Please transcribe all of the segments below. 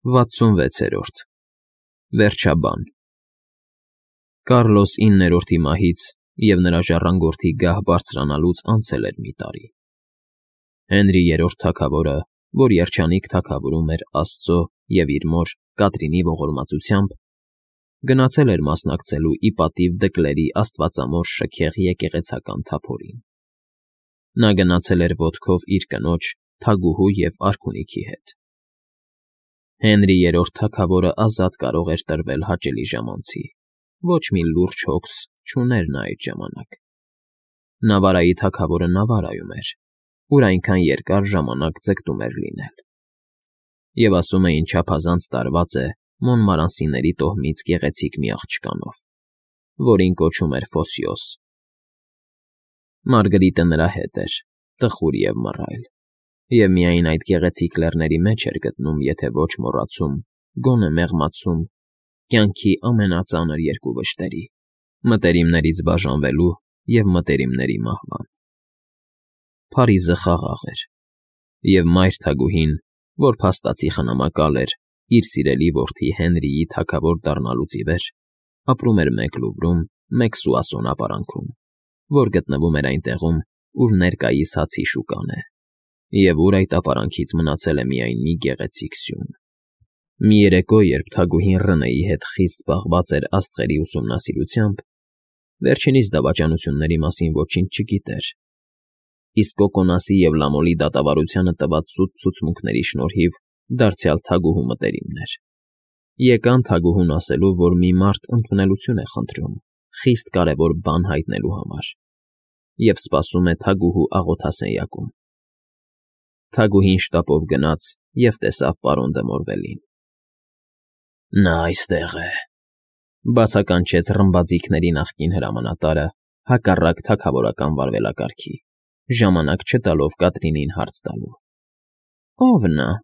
66-րդ Վերջաբան Կառլոս IX-ի մահից և նրա ժառանգորդի գահ բարձրանալուց անցել էր մի տարի։ Հենրի III թագավորը, որ երջանիկ թագավորում էր Աստծո և իր մոր Կատրինի ողորմածությամբ, գնացել էր մասնակցելու ի պատիվ Դկլերի աստվածամոր շքեղ եկեղեցական թափորին։ Նա գնացել էր ոտքով իր կնոջ, թագուհու և արքունիքի հետ։ Հենրի III թագավորը ազատ կարող էր տրվել հաճելի ժամանցի, ոչ մի լուրջ հոգս չուներ նա այդ ժամանակ։ Նավարայի թագավորը Նավարայում էր, ուր այնքան երկար ժամանակ ձգտում էր լինել։ Եվ ասում էին չափազանց տարված է Մոնմարանսիների տոհմից գեղեցիկ մի աղջկանով, որին կոչում էր Ֆոսիոս։ Մարգրիտը նրա հետ էր, տխուր և մռայլ, և միայն այդ գեղեցիկ լեռների մեջ էր գտնում, եթե ոչ մոռացում, գոնե մեղմացում կյանքի ամենածանր երկու վշտերի՝ մտերիմներից բաժանվելու և մտերիմների մահվան։ Փարիզը խաղաղ էր, և մայր թագուհին, որ փաստացի խնամակալ էր իր սիրելի որդի Հենրիի թագավոր դառնալուց ի վեր, ապրում էր մեկ Լուվրում, մեկ Սուասոն ապարանքում, որ գտնվում էր այնտեղում, ուր ներկայիս Հացի շուկան է, և ուր այդ ապարանքից մնացել է միայն մի գեղեցիկ սյուն։ Մի երեկո, երբ թագուհին Ռնեի հետ խիստ զբաղված էր աստղերի ուսումնասիրությամբ, վերջինիս դավաճանությունների մասին ոչինչ չգիտեր, իսկ Կոկոնասի և Լամոլի դատավարությանը տված սուտ ցուցմունքների շնորհիվ դարձյալ թագուհու մտերիմներ, եկան թագուհուն ասելու, որ մի մարդ ընդունելություն է խնդրում խիստ կարևոր բան հայտնելու համար և սպասում է թագուհու աղոթասենյակում։ Թագուհին շտապով գնաց և տեսավ պարոն դը Մորվելին։ Նա այստեղ է,֊ բացականչեց ռմբաձիգների նախկին հրամանատարը հակառակ թագավորական վարվելակարգի, ժամանակ չտալով Կատրինին հարց տալու։ ֊ Ո՞վ նա,֊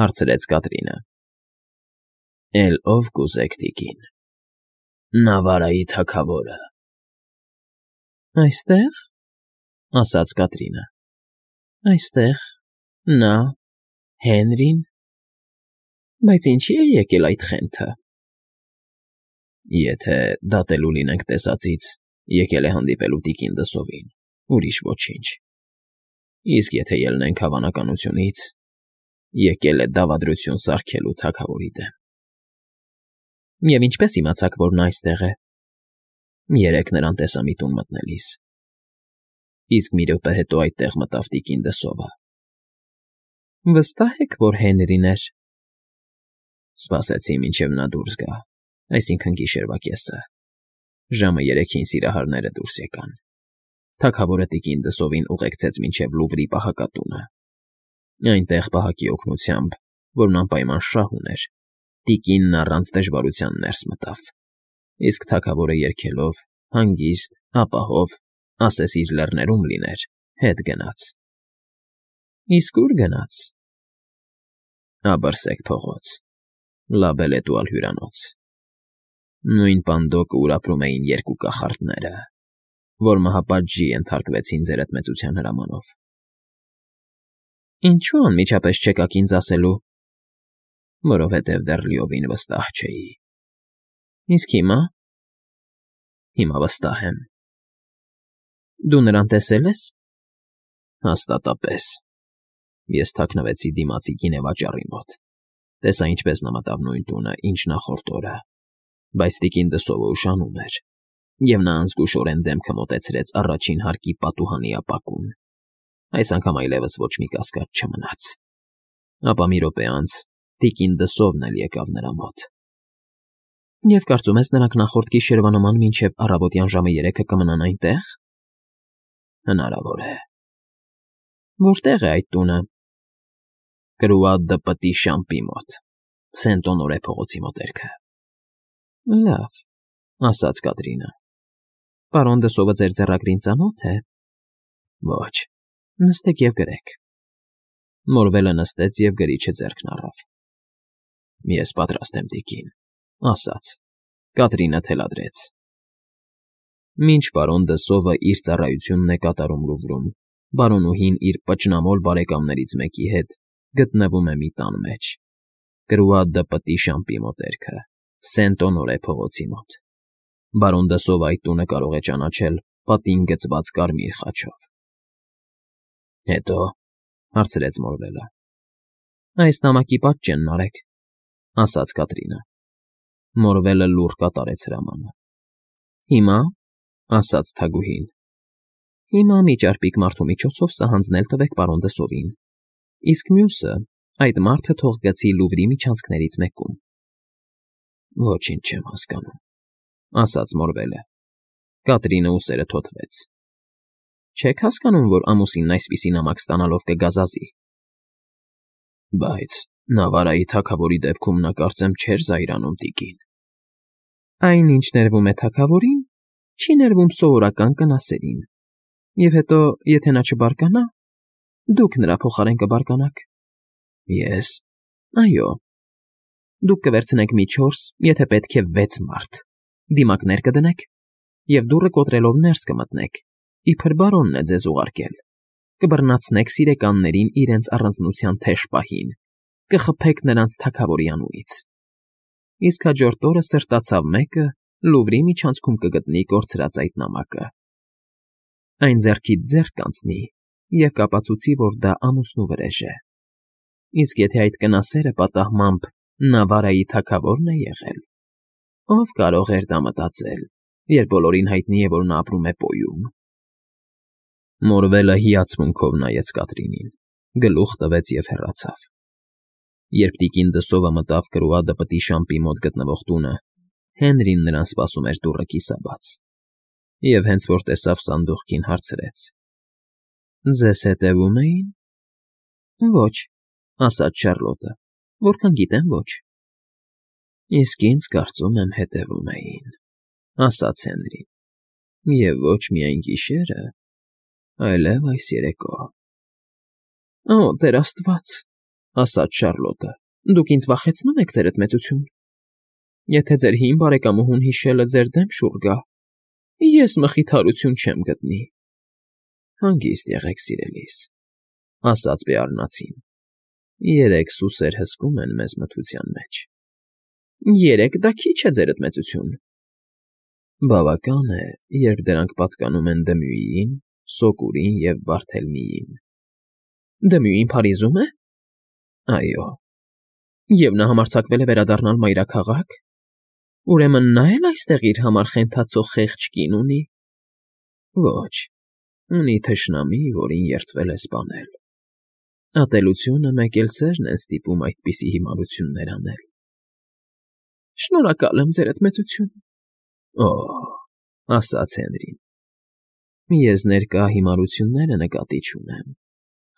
հարցրեց Կատրինը։ ֊ Էլ ով կուզեք, տիկին։ Նավարայի թագավորը։ ֊ Այստե՞ղ,֊ ասաց Կատրինը։ ֊ Այստեղ, նա, Հենրին… Բայց ինչի՞ է եկել այդ խենթը։ ֊ Եթե դատելու լինենք տեսածից, եկել է հանդիպելու տիկին Դսովին, ուրիշ ոչինչ, իսկ եթե ելնենք հավանականությունից, եկել է դավադրություն սարքելու թագավորի դեմ։ ֊ Եվ ինչպե՞ս իմացաք, որ նա այստեղ է։ ֊ Երեկ նրան տեսա մի տուն մտնելիս, իսկ մի րոպե հետո այդտեղ մտավ տիկին Դսովը։ ֊ Վստահ եք, որ Հենրին էր։ ֊ Սպասեցի, մինչև նա դուրս գա, այսինքն՝ գիշերվա կեսը, ժամը 3-ին սիրահարները դուրս եկան։ Թագավորը տիկին Դսովին ուղեկցեց մինչև Լուվրի պահակատունը։ Այնտեղ, պահակի օգնությամբ, որն անպայման շահ ուներ, տիկինն առանց դժվարության ներս մտավ, իսկ թագավորը երգելով, հանգիստ, ապահով, ասես իր լեռներում լիներ, հետ գնաց։ ֊ Իսկ ո՞ւր գնաց։ ֊ Աբըրսեք փողոց, Լաբելետուալ հյուրանոց, նույն պանդոկը, ուր ապրում էին երկու կախարդները, որ մահապատժի ենթարկվեցին ձեր էդմեցության հրամանով։ ֊ Ինչո՞ւ անմիջապես չեկաք ինձ ասելու։ ֊ Որովհետև դեռ լիովին վստահ չէի։ ֊ Իսկ հիմա։ ֊ Հիմա վստահ եմ։ ֊ Դու նրան տեսե՞լ ես։ ֊ Հաստատապես։ Ես թաքնվեցի դիմացի գինեվաճառի մոտ, տեսա ինչպես նա մտավ նույն տունը, ինչ նախորդ օրը, բայց տիկին Դսովը ուշանում էր, և նա անզգուշորեն դեմքը մոտեցրեց առաջին հարկի պատուհանի ապակուն։ Այս անգամ այլևս ոչ մի կասկած չմնաց։ Ապա մի րոպե անց տիկին Դսովն էլ եկավ նրա մոտ։ ֊ Եվ կարծում ես, նրանք նախորդ գիշերվա նման մինչև առավոտյան ժամը 3-ը կմնան այնտեղ։ ֊ Հնարավոր է։ ֊ Որտե՞ղ է այդ տունը։ ֊ Կրուա դը Պտի Շամպի մոտ, Սենտ֊Օնորե փողոցի մոտերքը։ ֊ Լավ,֊ ասաց Կատրինը։ ֊ Պարոն Դսովը ձեր ձեռագրին ծանո՞թ է։ ֊ Ոչ։ ֊ Նստեք և գրեք։ Մորվելը նստեց և գրիչը ձեռքն առավ։ ֊ Ես պատրաստ եմ, տիկին,֊ ասաց։ Կատրինը թելադրեց։ Մինչ պարոն Դսովը իր ծառայությունն է կատարում Լուվրում, բարոնուհին իր պճնամոլ բարեկամներից մեկի հետ գտնվում է մի տան մեջ, Կրուադը պտի շամպի մոտերքը, Սենտոնորե փողոցի մոտ։ Բարոն Դսովը այդ տունը կարող է ճանաչել պատին գծված կարմիր խաչով։ Հետո հարցրեց Մորվելը։ Այս նամակի պատճենն արեք, ասաց Կատրինը։ Մորվելը լուռ կատարեց հրամանը։ Հիմա, ասաց թագուհին, հիմա մի ճարպիկ մարդու միջոցով սա հանձնել տվեք պարոն Դսովին, իսկ մյուսը այդ մարդը թող գցի Լուվրի միջանցքներից մեկում։ Ոչինչ չեմ հասկանում, ասաց Մորվելը։ Կատրինը ուսերը թոթվեց։ Չեք հասկանում, որ ամուսինն այսպիսի նամակ ստանալով կգազազի։ Բայց Նավարայի թագավորի դեպքում նա կարծեմ չէր զայրանում տիկին։ Այնինչ ներվում է թագավորին, չի ներվում սովորական կնասերին։ Եվ հետո, եթե նա չբարկանա, դուք նրա փոխարեն կբարկանաք։ Ես։ Այո։ Դուք կվերցնեք մի 4, եթե պետք է 6 մարդ, դիմակներ կդնեք, և դուռը կոտրելով ներս կմտնեք, իբր բարոնն է ձեզ ուղարկել, կբռնացնեք սիրեկաններին իրենց առանձնության թեժ պահին, կխփեք նրանց թագավորի անունից։ Իսկ հաջորդ օրը սրտացավ մեկը Լուվրի միջանցքում կգտնի կորցրած այդ նամակը։ Այն ձեռքից ձեռք կանցնի և կապացուցի, որ դա ամուսնու վրեժ է։ Իսկ եթե այդ կնասերը պատահմամբ Նավարայի թագավորն է եղել, ով կարող էր դա մտածել, երբ բոլորին հայտնի է, որ նա ապրում է Պոյում։ Մորվելը հիացմունքով նայեց Կատրինին, գլուխ տվեց և հեռացավ։ Երբ տիկին Դսովը մտավ Կրուադը պտի շամպի մոտ գտնվող տունը, Հենրին նրան սպասում էր դուռը կիսաբաց։ Եվ հենց որ տեսավ սանդուղքին, հարցրեց. Ձեզ հետևում էին։ Ոչ, ասաց Շարլոտը, որքան գիտեմ ոչ։ Իսկ ինձ կարծում եմ հետևում էին, ասաց Հենրին։ Եվ ոչ միայն գիշերը, այլև այս երեկո։ Օ, Տեր Աստված, ասաց Շարլոտը, դուք ինձ վախեցնում եք, ձերդ մեծություն։ Եթե ձեր հին բարեկամուհուն հիշելը ձեր դեմ շուռ գա, ես մխիթարություն չեմ գտնի։ Հանգիստ եղեք, սիրելիս, ասաց Բեառնացին։ 3 սուսեր հսկում են մեզ մթության մեջ։ 3 դա քիչ է, ձերդ մեծություն։ Բավական է, երբ դրանք պատկանում են Դմյուիին, Սոկուրին և Բարթելմիին։ Դմյուին Փարիզում է։ Այո։ Եվ նա համարձակվել է վերադառնալ մայրաքաղաք։ Ուրեմն նա էլ այստեղ իր համար խենթացող խեղճ կին ունի։ Ոչ, ունի թշնամի, որին երդվել է սպանել։ Ատելությունը մեկ էլ սերն է ստիպում այդպիսի հիմարություններ անել։ Շնորհակալ եմ, ձերդ մեծություն։ Օ, ասաց Հենրին։ Ես ներկա հիմարությունները նկատի չունեմ։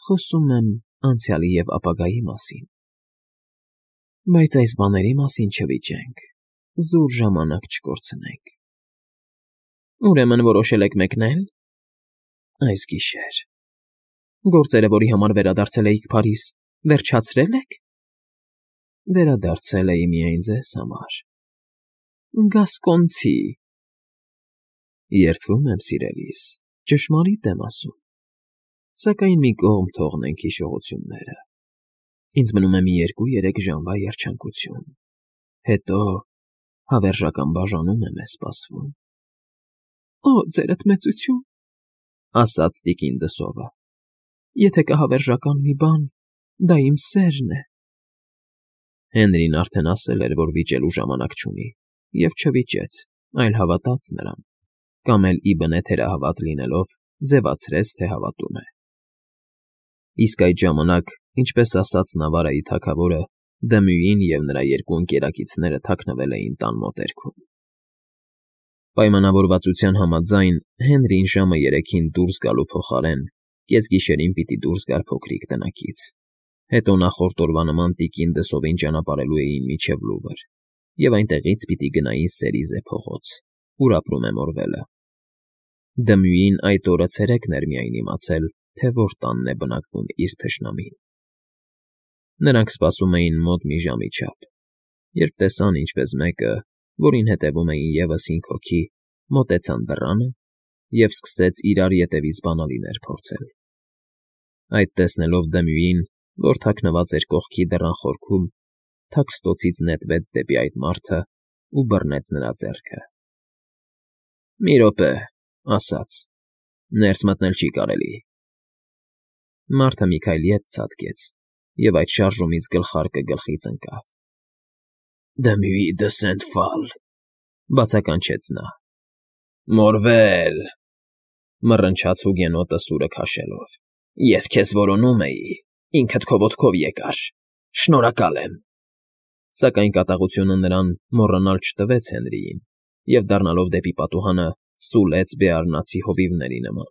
Խոսում եմ անցյալի և ապագայի մասին։ Բայց այս բաների մասին չվիճենք, զուր ժամանակ չկորցնենք։ Ուրեմն որոշել եք մեկնել։ Այս գիշեր։ Գործերը, որի համար վերադարձել էիք Փարիզ, վերջացրել եք։ Վերադարձել էի միայն ձեզ համար։ Գասկոնցի։ Երդվում եմ, սիրելիս, ճշմարիտ եմ ասում։ Սակայն մի կողմ թողնենք հիշողությունները։ Ինձ մնում է մի 2-3 ժամվա երջանկություն։ Հետո հավերժական բաժանում է մեզ սպասվում։ Օ, ձերդ մեծություն, ասաց տիկին Դսովը։ Եթե կա հավերժական մի բան, դա իմ սերն է։ Հենրին արդեն ասել էր, որ վիճելու ժամանակ չունի, և չվիճեց, այլ հավատաց նրան, կամ էլ ի բնե թերահավատ լինելով, ձևացրեց, թե հավատում է։ Իսկ այդ ժամանակ, ինչպես ասաց Նավարայի թագավորը, Դմյուին և նրա 2 ընկերակիցները թաքնվել էին տան մոտերքում։ Պայմանավորվածության համաձայն Հենրին ժամը 3-ին դուրս գալու փոխարեն կեսգիշերին պիտի դուրս գար փոքրիկ տնակից։ Հետո նախորդ օրվա նման տիկին Դսովին ճանապարհելու էին մինչև Լուվր, և այնտեղից պիտի գնային Սերիզե փողոց, ուր ապրում է Մորվելը։ Դմյուին այդ օրը ցերեկն էր միայն իմացել, թե որ տանն է բնակվում իր թշնամին։ Նրանք սպասում էին մոտ մի ժամի չափ, երբ տեսան, ինչպես մեկը, որին հետևում էին ևս 5 հոգի, մոտեցան դռանը և սկսեց իրար ետևից բանալիներ փորձել։ Այդ տեսնելով Դմյուին, որ թաքնված էր կողքի դռան խորքում, թաքստոցից նետվեց դեպի այդ մարդն ու բռնեց նրա ձեռքը։ ֊ Մի րոպե,֊ ասաց,֊ ներս մտնել չի կարելի։ Մարդը մի քայլ ետ ցատկեց, և այդ շարժումից գլխարկը գլխից ընկավ։ ֊ Դմուի դսենթ ֆալ,֊ բացականչեց նա։ ֊ Մորվե՜լ,֊ մռնչաց հուգենոտը սուրը քաշելով։֊ Ես քեզ որոնում էի, ինքդ քո ոտքով եկար, շնորհակալ եմ… Սակայն կատաղությունը նրան մոռանալ չտվեց Հենրիին և, դառնալով դեպի պատուհանը, սուլեց բեարնացի հովիվների նման։